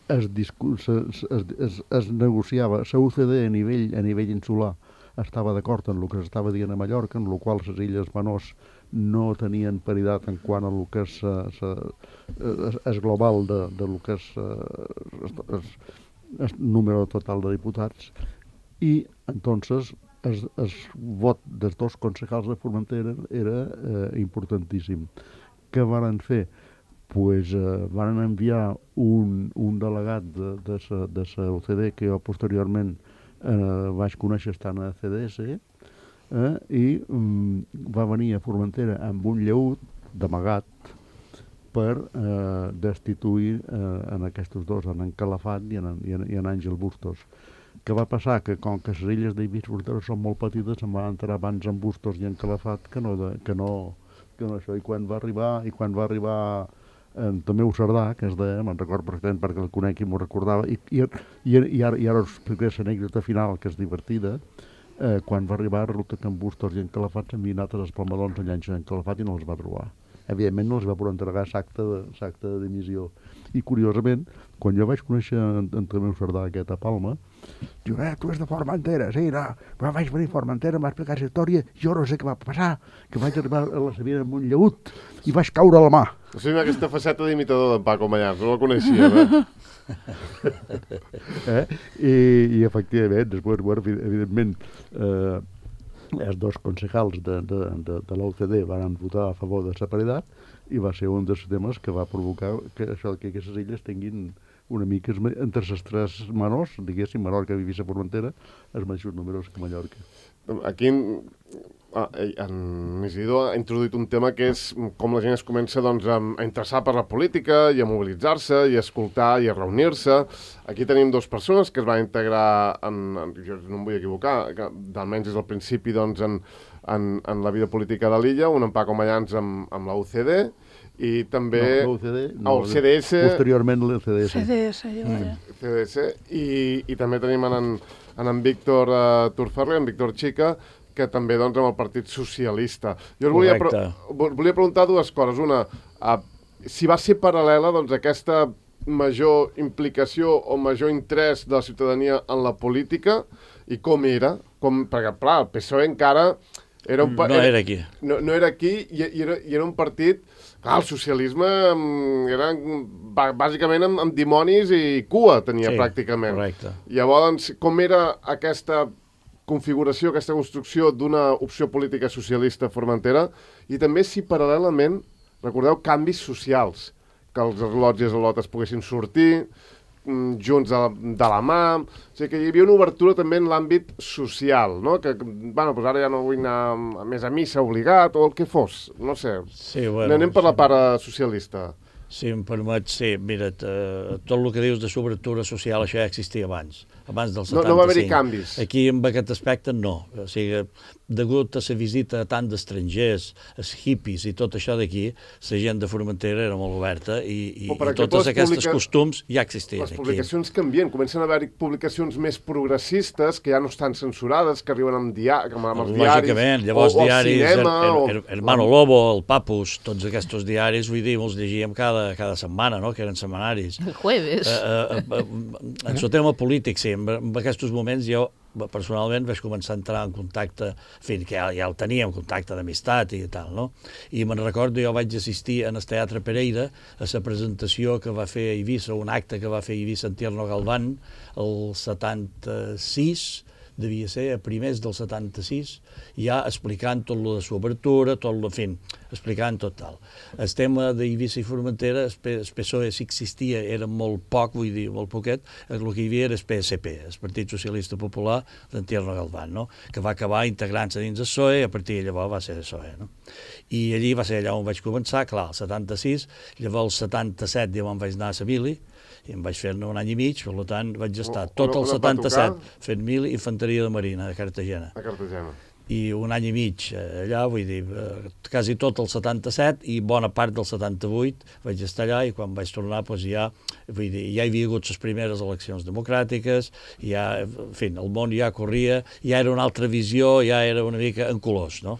es negociava, la UCD a nivell insular estava d'acord en el que s'estava dient a Mallorca, en el qual les illes menors no tenien paritat en quant a el que és global de lo que és el número total de diputats, i entonces el vot dels dos concejals de Formentera era importantíssim. Què van fer? Pues van enviar un delegat de la OCDE, que jo posteriorment vaig conèixer estant a CDS, i va venir a Formentera amb un lleut d'amagat per destituir en aquests dos, en Calafat i en Àngel Bustos. Què va passar? Que com que les illes d'Eivissa i Formentera són molt petites, em van entrar abans en Bustos i en Calafat que no això. I quan va arribar Tomeu Cerdà, que es deia, me'n record perfectament perquè el conec i m'ho recordava, i ara us explicaré l'anècdota final, que és divertida. Quan va arribar, resulta que en Bustos i en Calafat s'havien anat als Palmadons a llançar en Calafat i no els va trobar. Evidentment no els va poder entregar l'acte de dimissió. I curiosament, quan jo vaig conèixer en Tomeu Cerdà aquest a Palma, diu, tu és de Formentera, sí, no, però vaig venir a Formentera, m'ha explicat la història, jo no sé què va passar, que vaig arribar a la Sabina amb un lleut i vaig caure a la mà. O sigui, aquesta faceta d'imitador d'en Paco Mallars, no la coneixia, I efectivament, després, evidentment, els dos concejals de l'OCDE van votar a favor de la paritat, i va ser un dels temes que va provocar que aquestes illes tinguin una mica, entre les tres menors, diguéssim, Menorca, Eivissa i Formentera, els mateixos números que Mallorca. Aquí en Isidro ha introduït un tema que és com la gent es comença a interessar per la política i a mobilitzar-se i a escoltar i a reunir-se. Aquí tenim dues persones que es van integrar, jo no em vull equivocar, almenys des del principi en la vida política de l'illa, un en Paco Mallans amb la UCD, i també el CDS, posteriorment el CDS, i també tenim en Víctor Turferrer, en Víctor Chica, que també amb el Partit Socialista. Jo volia preguntar dues coses. Una, si va ser paral·lela aquesta major implicació o major interès de la ciutadania en la política i com era, perquè clar, el PSOE encara no era aquí. No era aquí i era un partit. Clar, el socialisme era bàsicament amb dimonis i cua, tenia pràcticament. Correcte. Llavors, com era aquesta configuració, aquesta construcció d'una opció política socialista a Formentera, i també si paral·lelament, recordeu, canvis socials, que els lots i les lotes poguessin sortir junts de la mà, o sigui que hi havia una obertura també en l'àmbit social, no? Que, bueno, doncs ara ja no vull anar més a missa obligat o el que fos, no sé. Sí, bueno, anem per la part socialista. Si em permet, sí, mira't, tot el que dius de sobretaura social, això ja existia abans del 75. No va haver-hi canvis. Aquí, en aquest aspecte, no. O sigui, degut a la visita a tant d'estrangers, els hippies i tot això d'aquí, la gent de Formentera era molt oberta i totes aquestes costums ja existien aquí. Les publicacions canvien, comencen a haver-hi publicacions més progressistes que ja no estan censurades, que arriben amb els diaris. Lògicament, llavors diaris, cinema, Hermano Lobo, el Papus, tots aquests diaris, vull dir, els llegíem cada setmana, no?, que eren setmanaris. El jueves. En el tema polític, sí, en aquests moments jo personalment vaig començar a entrar en contacte, en fi, que ja el teníem, contacte d'amistat i tal, no? I me'n recordo, jo vaig assistir en el Teatre Pereira a la presentació que va fer a Eivissa, un acte que va fer a Eivissa en Tierno Galván el 76, devia ser a primers del 76, ja explicant tot lo de l'obertura, tot lo, en fi, explicant tot tal. El tema d'Eivissa i Formentera, el PSOE, si existia, era molt poc, vull dir, molt poquet, el que hi havia era el PSP, el Partit Socialista Popular d'en Tierno Galván, no?, que va acabar integrant-se dins el PSOE i a partir de llavors va ser el PSOE, no? I allí va ser allà on vaig començar, clar, el 76, llavors el 77 ja me'n vaig anar a Sevilla, i em vaig fer-ne un any i mig, per tant vaig estar tot el 77 fent mil infanteria de marina a Cartagena. I un any i mig allà, vull dir, quasi tot el 77 i bona part del 78 vaig estar allà, i quan vaig tornar, doncs ja, vull dir, ja hi havia hagut les primeres eleccions democràtiques, ja, en fi, el món ja corria, ja era una altra visió, ja era una mica en colors, no?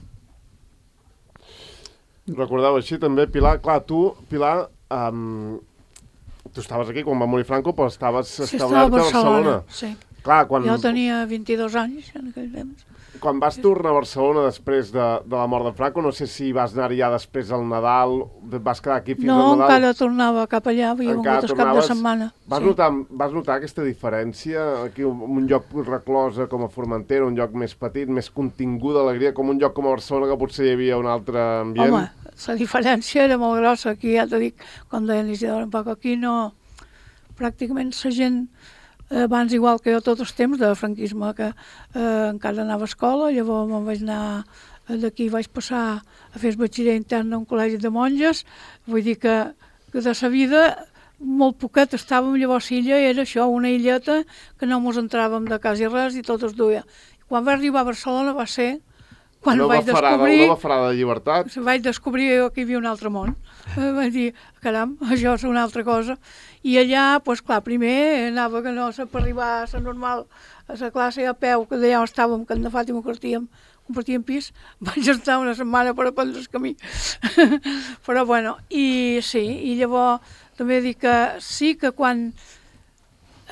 Recordeu així també, Pilar, clar, tu, Pilar, tu estaves aquí quan va morir Franco, però estaves Sí, estava establert a a Barcelona. sí. Clar, quan, Jo tenia 22 anys en aquell temps. quan vas tornar a Barcelona després de la mort de Franco, no sé si vas anar ja després al Nadal, vas quedar aquí fins No, al Nadal. encara tornava cap allà, havia Encara vingut el cap de tornaves. setmana. Vas notar aquesta diferència? Aquí un lloc reclosa com a Formentera, un lloc més petit, més contingut d'alegria, com un lloc com a Barcelona que potser hi havia un altre ambient? Home, la diferència era molt grossa. Aquí ja t'ho dic, com deia Isidore, un poc aquí no... Pràcticament la gent, abans igual que jo tots els temps de franquisme, que encara anava a escola, llavors me'n vaig anar d'aquí, vaig passar a fer el batxiller intern a un col·legi de monges, vull dir que de sa vida molt poquet estàvem, llavors l'illa era això, una illeta que no mos entràvem de quasi res i tot es duia. Quan vaig arribar a Barcelona va ser quan vaig descobrir... Una farada de llibertat. Vaig descobrir que hi havia un altre món. Vaig dir, caram, això és una altra cosa. I allà, doncs clar, primer anava que no per arribar a la normal, a la classe a peu, que d'allà on estàvem, que en Fàtima compartíem pis, vaig estar una setmana per aprendre el camí. Però bueno, i sí, i llavors també dic que sí que quan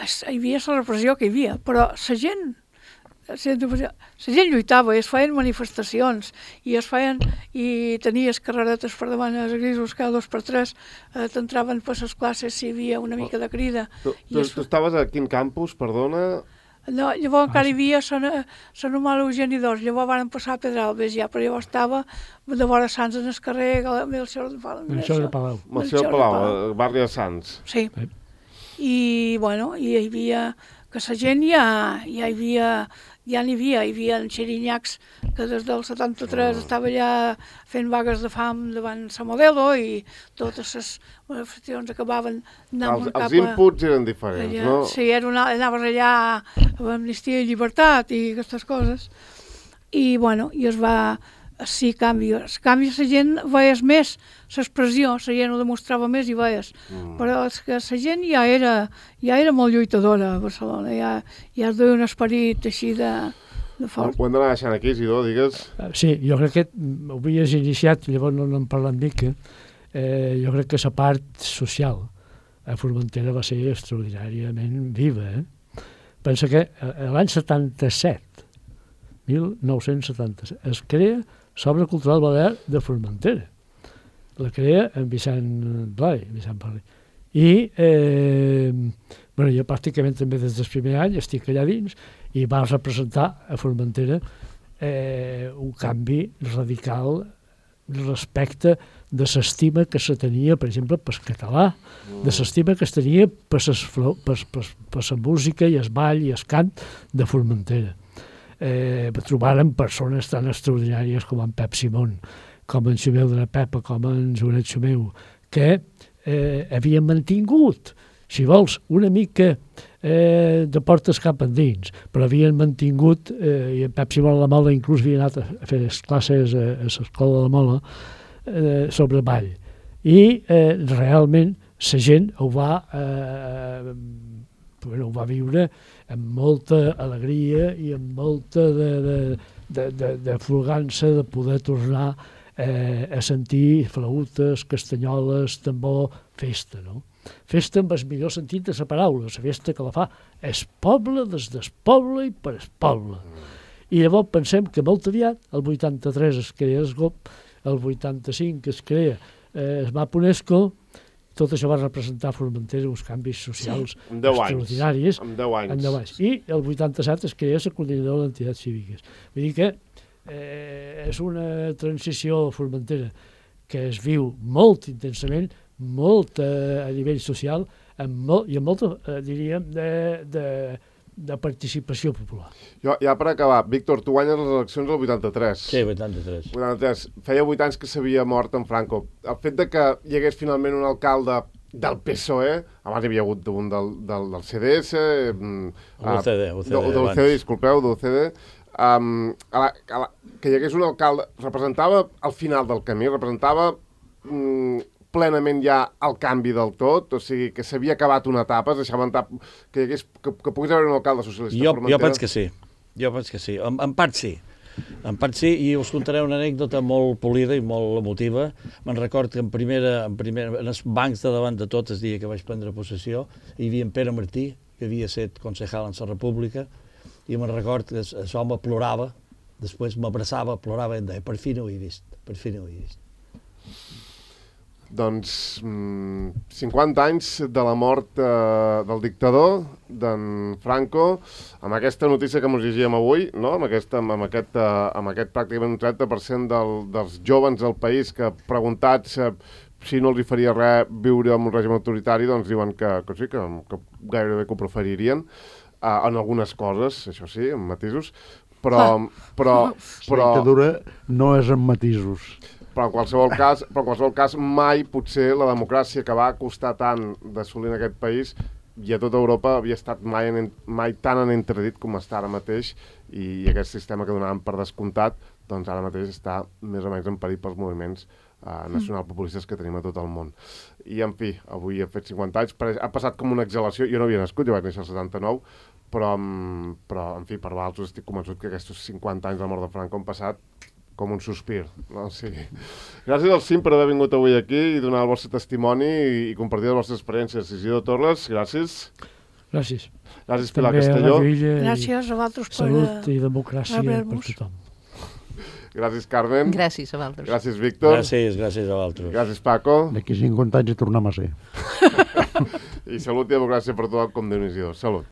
hi havia la repressió que hi havia, però la gent lluitava i es feien manifestacions i tenies carreretes per davant els grisos cada 2 per 3, t'entraven per les classes si hi havia una mica de crida. Tu estaves a quin campus, perdona? No, llavors encara hi havia la normal Eugeni d'Ors, llavors van passar a Pedralbes ja, però llavors estava de vora Sants en el carrer Melcior de Palau. Melcior de Palau, barri de Sants. Sí. I bueno, hi havia que la gent hi havia en Xirinyacs que des del 73 estava allà fent vagues de fam davant la Modelo i totes les manifestacions acabaven anant cap a... Els inputs eren diferents, allà, no? Sí, anaves allà amb Amnistia i Llibertat i aquestes coses. I bueno, i es va... Sí, canvis. Canvis la gent veies més, l'expressió, la gent ho demostrava més i veies. Però és que la gent ja era molt lluitadora a Barcelona, ja es duia un esperit així de fort. Ho hem d'anar deixant aquí, Isidor, digues. Sí, jo crec que ho havies iniciat, llavors no n'hem parlat mica. Jo crec que la part social a Formentera va ser extraordinàriament viva. Pensa que l'any 77, 1977, es crea l'Obra Cultural Balear de Formentera. La crea en Vicent Blai. I jo pràcticament també des del primer any estic allà dins i va representar a Formentera un canvi radical respecte de l'estima que se tenia, per exemple, pel català, de l'estima que es tenia per la música i el ball i el cant de Formentera. Trobaren persones tan extraordinàries com en Pep Simón, com en Xumeu de la Pepa, com en Joanet Xumeu, que havien mantingut, si vols, una mica de portes cap endins, però havien mantingut, i en Pep Simón a la Mola inclús havia anat a fer les classes a l'escola de la Mola sobre ball. I realment la gent ho va viure amb molta alegria i amb molta de flugança de poder tornar a sentir flautes, castanyoles, tambor, festa, no? Festa amb el millor sentit de la paraula, la festa que la fa el poble des del poble i per el poble. I llavors pensem que molt aviat, el 83 es crea el GOP, el 85 es crea el MAP UNESCO, tot això va representar a Formentera uns canvis socials extraordinaris. Amb 10 anys. I el 87 es crea la coordinadora d'entitats cíviques. Vull dir que és una transició a Formentera que es viu molt intensament, molt a nivell social i amb molta, diríem, de participació popular. Ja per acabar, Víctor, tu guanyes les eleccions del 83. Sí, 83. Feia 8 anys que s'havia mort en Franco. El fet de que hi hagués finalment un alcalde del PSOE, abans hi havia hagut un del CDS... del CD, disculpeu, del CD, que hi hagués un alcalde, representava al final del camí, representava plenament ja el canvi del tot, o sigui, que s'havia acabat una etapa, es deixava que pogués haver un alcalde socialista a Formentera. Jo penso que sí, en part sí. En part sí, i us contaré una anècdota molt polida i molt emotiva. Me'n record que en els bancs de davant de tot el dia que vaig prendre possessió hi havia en Pere Martí, que havia estat concejal en la República, i me'n record que l'home plorava, després m'abraçava, plorava i em deia, per fi no ho he vist, per fi no ho he vist. Doncs 50 anys de la mort del dictador, d'en Franco, amb aquesta notícia que ens llegíem avui, no? amb aquest pràcticament un 30% dels joves del país que preguntats si no els hi faria res viure en un règim autoritari, doncs diuen que sí, que gairebé que ho preferirien, en algunes coses, això sí, en matisos, però La dictadura no és en matisos. Però en qualsevol cas mai potser la democràcia que va costar tant d'assolir en aquest país i a tota Europa havia estat mai tan en entredit com està ara mateix, i aquest sistema que donàvem per descomptat doncs ara mateix està més o menys en perill pels moviments nacionalpopulistes que tenim a tot el món. I en fi, avui ha fet 50 anys, ha passat com una exhalació, jo no havia nascut, jo vaig néixer al 79, però en fi, per vosaltres estic convençut que aquests 50 anys de la mort de Franco han passat com un sospir. No? Sí. Gràcies al CIM per haver vingut avui aquí i donar el vostre testimoni i compartir les vostres experiències. Isidro Torres, gràcies. Gràcies. Gràcies, Pilar Castelló. Gràcies a vosaltres per salut i democràcia per tothom. Gràcies, Carmen. Gràcies a vosaltres. Gràcies, Víctor. Gràcies a vosaltres. Gràcies, Paco. D'aquí 50 anys hi tornem a ser. I salut i democràcia per tothom, com Déu-n'hi-do. Salut.